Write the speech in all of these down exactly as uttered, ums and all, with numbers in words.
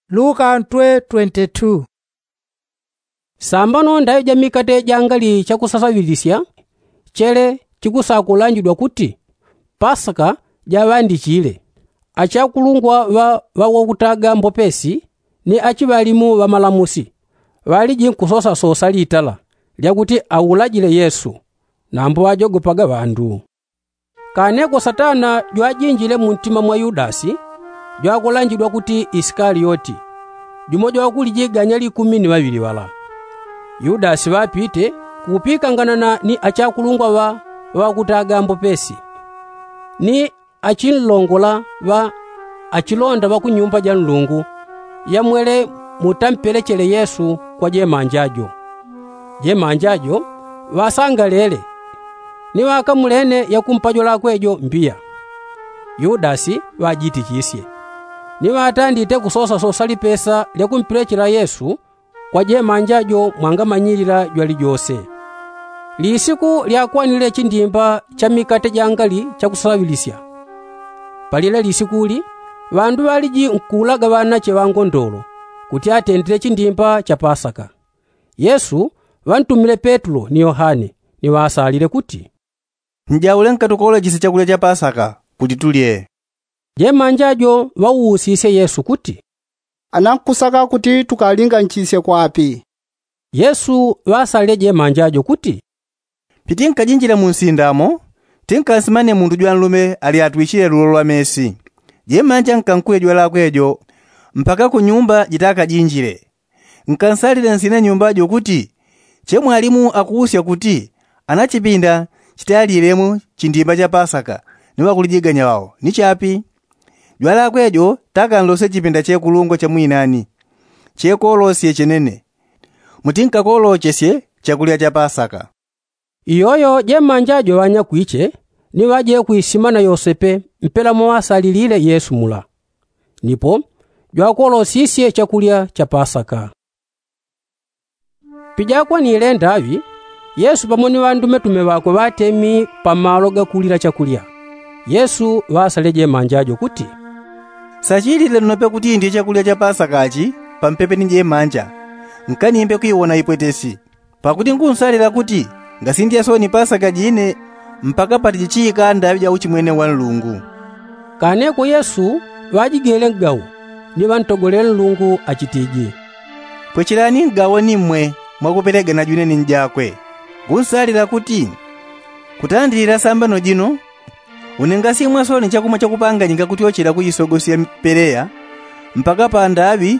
Luka ntwe twenty-two. Sambano ndayo ja mikate jangali chakusasaŵilisya, chele chikusakulanjidwa kuti pasaka jaŵandichile. Achakulungwa ŵa ŵawakutaga mbopesi ni achiŵalimu ŵa malamusi ŵaliji nkusosasosa litala lyakuti aulajile yesu. Nambo ŵajogopaga ŵandu. Kaneko satana jwajinjile muntima mwa yudasi, jwakulanjidwa kuti isikalioti, jumo jwakulijiganya likumi ni ŵaŵili ŵala. Yudasi ŵapite kukupikanganana ni achakulungwa ŵa ŵakutaga mbopesi ni achinlongola ŵa achilonda ŵa ku nyumba ja nlungu, yamwele mutampelechele yesu kwa jemanja jo. Jemanja jo ŵasangalele, ni ŵakamulene yakumpa jwalakwe jo mbiya. Yudasi ŵajitichisye, ni ŵatandite kusosasosa lipesa lyakumpelechela yesu kwa jemanja jo mwangamanyilila jwalijose. Lisiku lyakwanile chindimba cha mikate jangali chakusaŵilisya, palile lisikuli ŵandu ŵaliji nkuulaga ŵanache ŵa ngondolo kuti atendele chindimba cha pasaka. Yesu ŵantumile petulo ni yohane, ni ŵasalile kuti, njaule nkatukolechesye chakulya cha pasaka kuti tulye. Jemanja jo ŵauusisye yesu kuti, anankusaka kuti tukalinganchisye kwapi? Yesu ŵasalile jemanja jo kuti, pitinkajinjila mu nsinda mo, tinkansimane mundu jwanlume alyatwichile lulo lwa mesi. Jemanja nkankuye jwalakwe jo mpaka ku nyumba jitakajinjile. Nkansalile nsina nyumba jo kuti, che mwalimu akuusya kuti anachipinda chitalyilemo chindimba cha pasaka ni ŵakulijiganya ŵao ni chapi? Jwalakwe jo takanlosye chipinda che kulungwa cha mwinani, chekolosye chenene, mutinkakolochesye chakulya cha pasaka. Iyoyo jemanja jo ŵanyakwiche ni ŵaje kwisima na yosepe mpela moŵasalilile yesu mula, nipo jwakolosisye chakulya cha pasaka. Pijakwanile ndaŵi, yesu pamo ni ŵandumetume ŵakwe ŵatemi pa malo gakulila chakulya. Yesu ŵasalile jemanja jo kuti, sachilile nnope kuti ndye chakulya cha pasaka chi pampepe ni jemanja, nkanimbe kwiwona ipwetesi. Pakuti ngunsalila kuti ngasindya sooni pasaka jine mpaka patijichiika ndaŵi ja uchimwene wa nlungu. Kaneko yesu ŵajigele ngawo, ni ŵantogolele nlungu achitije, pwechelani ngawo ni mmwe mwakupelegana jwine ni njakwe. Ngunsalila kuti kutandilila sambano jino, une ngasimwa sooni chakumwa chakupanganyika kutyochela kujisogosya peleya mpaka pa ndaŵi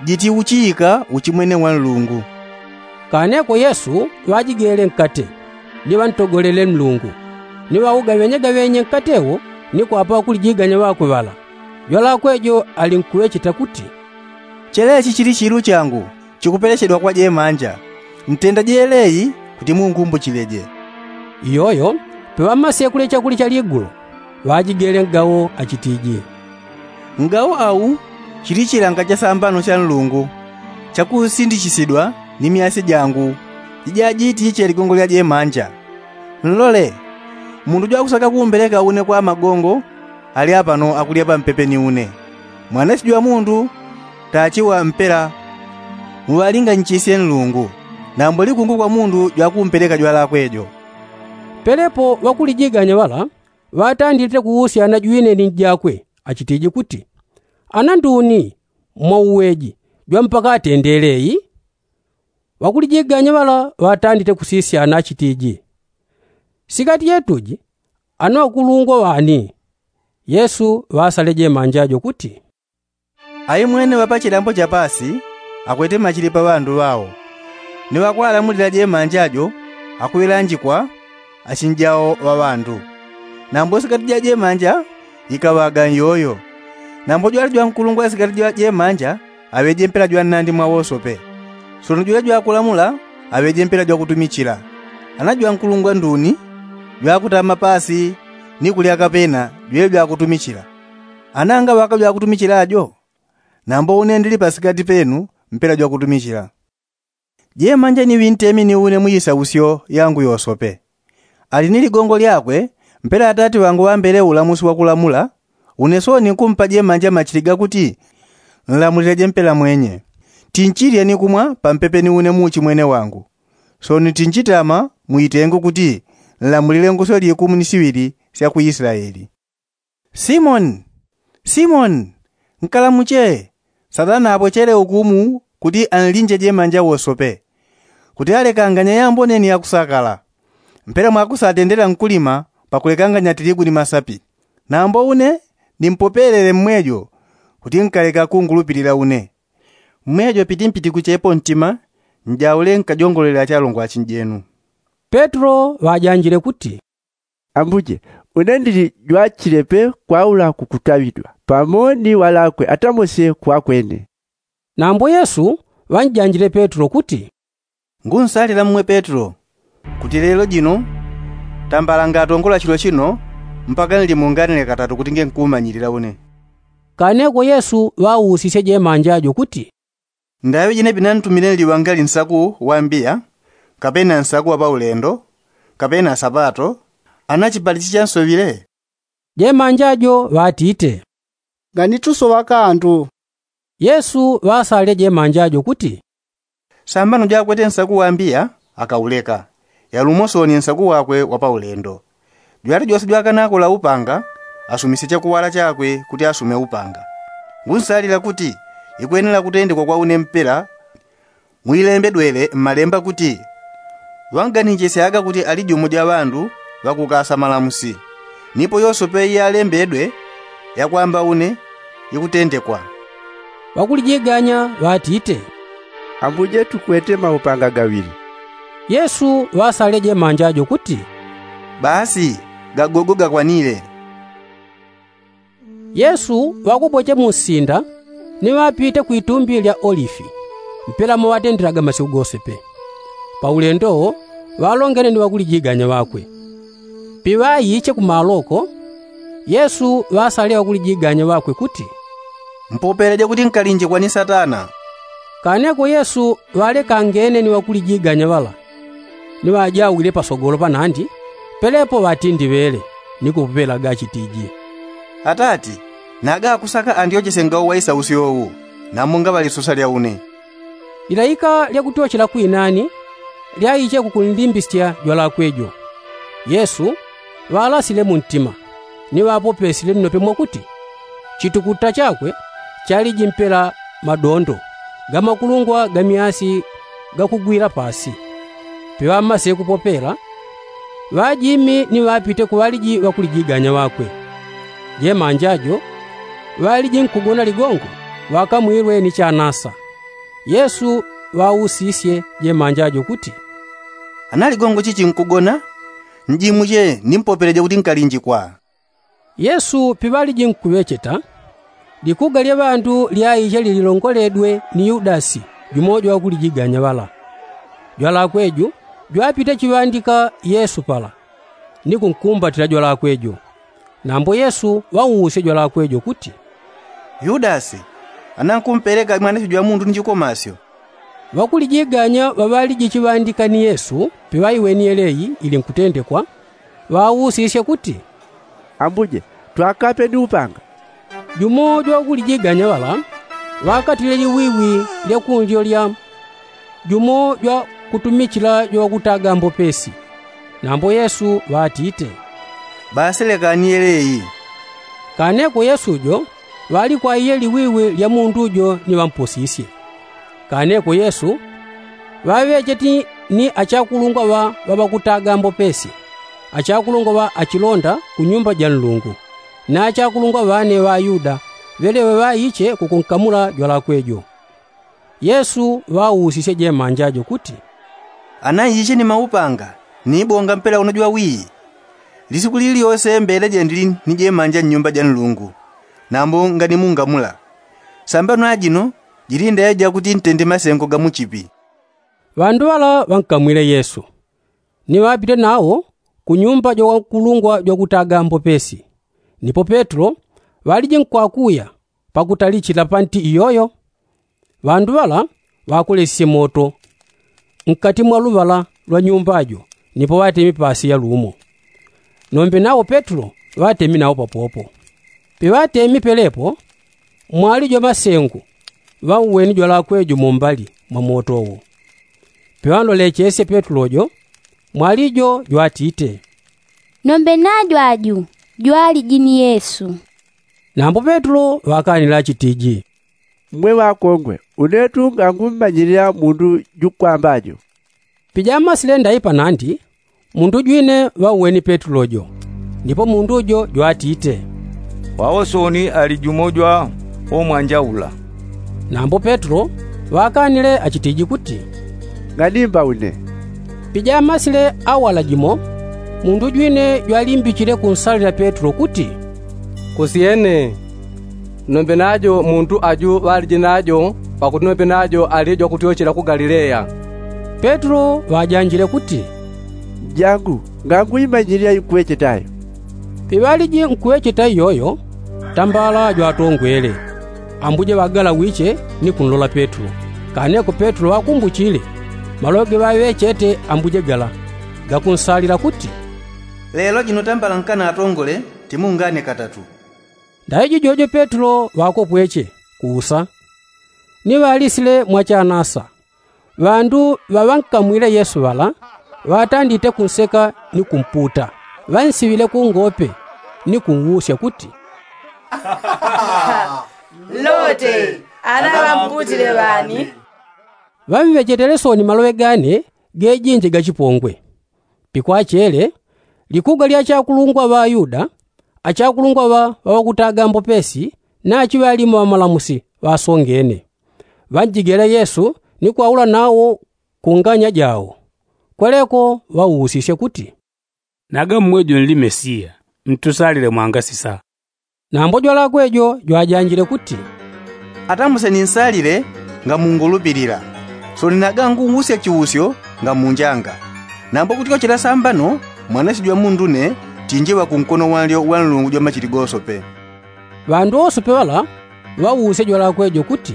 jitiuchiika uchimwene wa nlungu. Kaneko yesu ŵajigele nkate, ni ŵantogolele nlungu, ni ŵaugaŵenyegaŵenye nkate wo ni kwapa ŵakulijiganya ŵakwe ŵala. Jwalakwe jo alinkuŵecheta kuti, chelechi chili chilu changu chikupelechedwa kwa jemanja. Ntenda jeleyi kuti munkumbuchileje. Iyoyo peŵamasyekule chakuli cha ligulo, ŵajigele ngawo achitije, ngawo awu chili chilanga cha sambano cha nlungu chakusindichisidwa ni myasya jangu jijajitiche ligongo lya jemanja. Nlole, mundu jwakusaka kumbeleka une kwa magongo ali apano akulya pampepe ni une. Mwanache jwa mundu tachiwa mpela muŵalinganichisye nlungu, nambo likungu kwa mundu jwakumpeleka jwalakwe jo. Pelepo ŵakulijiganya ŵala ŵatandite kuusyana jwine ni njakwe achitije kuti, ana nduni mwauweji jwa mpaka atendele eyi? Ŵakulijiganya ŵala ŵatandite kusisyana achitije, sikati yetuji ana ŵakulungwa ŵani? Yesu ŵasale jemanja jo kuti, aimwene ŵa pa chilambo cha paasi akwete machili pa ŵandu ŵao, ni ŵakwalamulila jemanja jo akuŵilanjikwa achinjao ŵa ŵandu. Nambo sikati ja jemanja ikaŵaga nyoyo. Nambo jwali jwankulungwa sikati jwa jemanja aŵeje mpela jwa nnandi mwa wosope. Sono jwila jwakulamula aŵeje mpela jwakutumichila. Ana jwankulungwa nduni jwakutama paasi ni kulya kapena jwila jwakutumichila. Ana ngaŵaka jwakutumichila jo? Nambo une ndili pasikati penu mpela jwakutumichila. Jemanja ni ŵintemi ni une mu isausyo yangu yosope. Ali ni ligongo lyakwe mpela atati ŵangu ŵambele ulamusi wakulamula. Une sooni nkumpa jemanja machili gakuti Nlamulileje mpela mwenye. Tinchilya ni kumwa pampepe ni une muuchi mwene wangu. Sooni tinchitama mu itengo kuti nlamulile ngoswe likumu ni siŵili sya ku islaeli. Simoni, simoni, nkalamuche. Satana apwechele ukumu kuti anlinje jemanja wosope, kuti alekanganye yambone ni yakusakala. Mpela mwakusatendela nkulima pakulekanganya tiligu ni masapi. Nambo une nimpopelele mmwejo kuti nkaleka kungulupilila une. Mmwejo piti mpitikuchepo ntima, njaule nkajongolele achalongwa achinjenu. Petelo ŵajanjile kuti, ambuje, une ndili jwachilepe kwaula kukutaŵidwa pamo ni ŵalakwe atamose kwakwene. Nambo yesu ŵanjanjile petelo kuti, ngunsalila mmwe petelo, kuti lelo jino tambalanga atongola chilo chino mpaka nlimunganile katatu kuti ngenkumanyilila une. Kaneko yesu ŵausisye jemanja jo kuti, ndaŵe jine pinantumile nliŵangali nsaku wa mbiya, kapena nsaku wa paulendo, kapena sapato? Ana chipali chichansowile? Jemanja jo ŵatite, nganitusoŵa kantu. Yesu ŵasalile jemanja jo kuti, sambano jwakwete nsaku wa mbiya akauleka, yalumo sooni nsaku wakwe wa paulendo. Jwali jose jwakanakola upanga asumisye chakuwala chakwe kuti asume upanga. Ngunsalila kuti ikwenela kutendekwa kwa une mpela. Mwilembedwele mmalemba kuti, ŵanganichesyaga kuti ali jumo ja ŵandu ŵakukasa malamusi, nipo yosope iyalembedwe yakwamba une ikutendekwa. Ŵakulijiganya ŵatite, ambuje tukwete maupanga gaŵili. Yesu ŵasalile jemanja jo kuti, basi, gagogo gakwanile. Yesu ŵakuboche mu nsinda ni ŵapite kwitumbi lya olifi, mpela mo ŵatendelaga masiku gose pe. Paulendo ŵalongene ni ŵakulijiganya ŵakwe. Piŵaiche ku maloko, yesu ŵasalile ŵakulijiganya ŵakwe kuti, mpopeleje kuti nkalinjikwa ni satana. Kaneko yesu ŵalekangene ni ŵakulijiganya ŵala, ni ŵajawile pasogolo panandi, pelepo ŵatindiŵele ni kupupelaga achitiji, atati, naga akusaka andyochesye ngawo wa isausyo wu, nambo ngaŵalisosa lya une. Lilaika lya kutyochela kwinani lyaiche kukunlimbisya jwalakwe jo. Yesu ŵalasile mu ntima, ni ŵapopesile nnope mwakuti, chitukuta chakwe chaliji mpela madondo ga makulungwa ga myasi gakugwila pasi. Piŵamasile kupopela, ŵajimi ni ŵapite ku ŵaliji ŵakulijiganya ŵakwe. Jemanja jo ŵaliji nkugona ligongo, ŵakamwilwe ni chanasa. Yesu ŵausisye jemanja jo kuti, ana ligongo chichi nkugona, njimuche nimpopeleje kuti nkalinjikwa. Yesu piŵaliji nkuŵecheta, likuga lya ŵandu lyaiche lililongoledwe ni yudasi, jumo jwa ŵakulijiganya ŵala. Jwalakwe ju jwapite chiŵandika yesu pala, ni kunkumbatila jwalakwe jo. Nambo yesu ŵauusye jwalakwe jo kuti, yudasi, ana nkumpeleka mwanasyo jwa mundu ni chikomasyo? Ŵakulijiganya ŵaŵaliji chiŵandika ni yesu piŵaiweni yeleyi ili nkutendekwa, ŵausisye kuti, ambuje, twakape ni upanga? Jumo jwa ŵakulijiganya ŵala ŵakatile liwiwi lya kunlyo lya jumo jwa kutumichila jwa ŵakutaga mbopesi. Nambo yesu ŵatite, basi lekani yeleyi. Kaneko yesu jo ŵalikwaiye liwiwi lya mundu jo ni ŵamposisye. Kaneko yesu ŵaŵecheti ni achakulungwa ŵa ŵakutaga mbopesi, achakulungwa ŵa achilonda ku nyumba ja nlungu, ni achakulungwa ŵane ŵa ayuda ŵeleŵe ŵaiche kukunkamula jwalakwe jo. Yesu ŵausisye jemanja jo kuti, ana iche ni maupanga ni ibonga mpela uno jwa wii? Lisiku lili lyose mbeleje ndili ni jemanja nnyumba ja nlungu, nambo nganimungamula. Sambano ajino jili ndayo jakuti ntende masengo ga muchipi. Ŵandu ŵala ŵankamwile yesu, ni ŵapite nawo ku nyumba jwa ŵakulungwa jwa kutaga mbopesi. Nipo petelo ŵaliji nkwakuya pakutalichila panti iyoyo. Ŵandu ŵala ŵakolesisye moto nkati mwa luŵala lwa nyumba jo, nipo ŵatemi pasi ya lumo. Nombe nawo petelo ŵatemi nawo papopo. Piŵatemi pelepo mwali jwa masengu ŵauweni jwalakwe jo mumbali mwa moto wo. Piŵanlolechesye petulo jo, mwali jo jwatite, nombe najo aju jwaliji ni yesu. Nambo petulo ŵakanile achitiji, mmwe ŵakongwe, unetu ngangummanyilila mundu jukwamba jo. Pijamasile ndaipa nandi, mundu jwine ŵauweni petulo jo. Ndipo mundu jo jwatite, wawosoni ali jumo jwa omwanjaula. Nambo petulo ŵakanile achitiji kuti, ng'animba une. Pijamasile awala jimo, mundu jwine jwalimbichile kunsalila petulo kuti, kusyene, nombe najo mundu aju ŵaliji najo, pakuti nombe najo ali jwakutyochela ku galileya. Petulo ŵajanjile kuti, njangu, nganguimanyilila inkuŵecheta yo. Piŵaliji nkuŵecheta iyoyo, tambala jwatongwele, ambuje ŵagalawiche ni kunlola petulo. Kaneko petulo ŵakumbuchile maloŵe geŵaŵechete ambuje gala, gakunsalila kuti, lelo jino tambala nkana atongole, timungane katatu. Ndaiji jojo petulo ŵakopweche kuusa, ni ŵalisile mwachanasa. Ŵandu ŵaŵankamwile yesu ŵala, ŵatandite kunseka ni kumputa, ŵansiŵile kungope ni kunwusya kuti, lote, ana ŵamputile ŵani? Ŵamŵechetele soni maloŵe gane gejinje gachipongwe. Pikwachele, likuga lya achakulungwa ŵa ayuda, achakulungwa ŵa ŵaŵakutaga mbopesi, nachi ŵalimo ŵamalamusi ŵasongene, ŵanjigele yesu ni kwaula nawo ku nganya jao. Kweleko ŵausisye kuti, naga mmwejo nli mesiya, ntusalile mwangasisa. Nambo jwalakwe jo jwajanjile kuti, atamuse ninsalile ngamungulupilila. Soni naga nguusya chiusyo ngamunjanga. Nambo kutyochela sambano, mwanasyo jwa mundu ne tinjiŵa kunkono wanlyo wa nlungu jwa machili gosope. Ŵandu osope ŵala ŵausya jwalakwe jo kuti,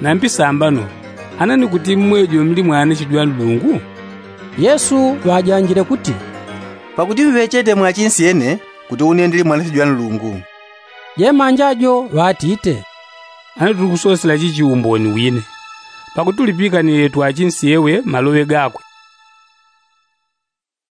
nambi sambano, ana ni kuti mmwejo mli mwanasyo jwa nlungu? Yesu ŵajanjile kuti, pakuti mŵechete mwachinsyene kuti une ndili mwanasyo jwa nlungu. Jemanja jo ŵatite, ana tulikusosela chichi umboni wine, pakuti tulipikanile twachinsyewe maloŵe gakwe.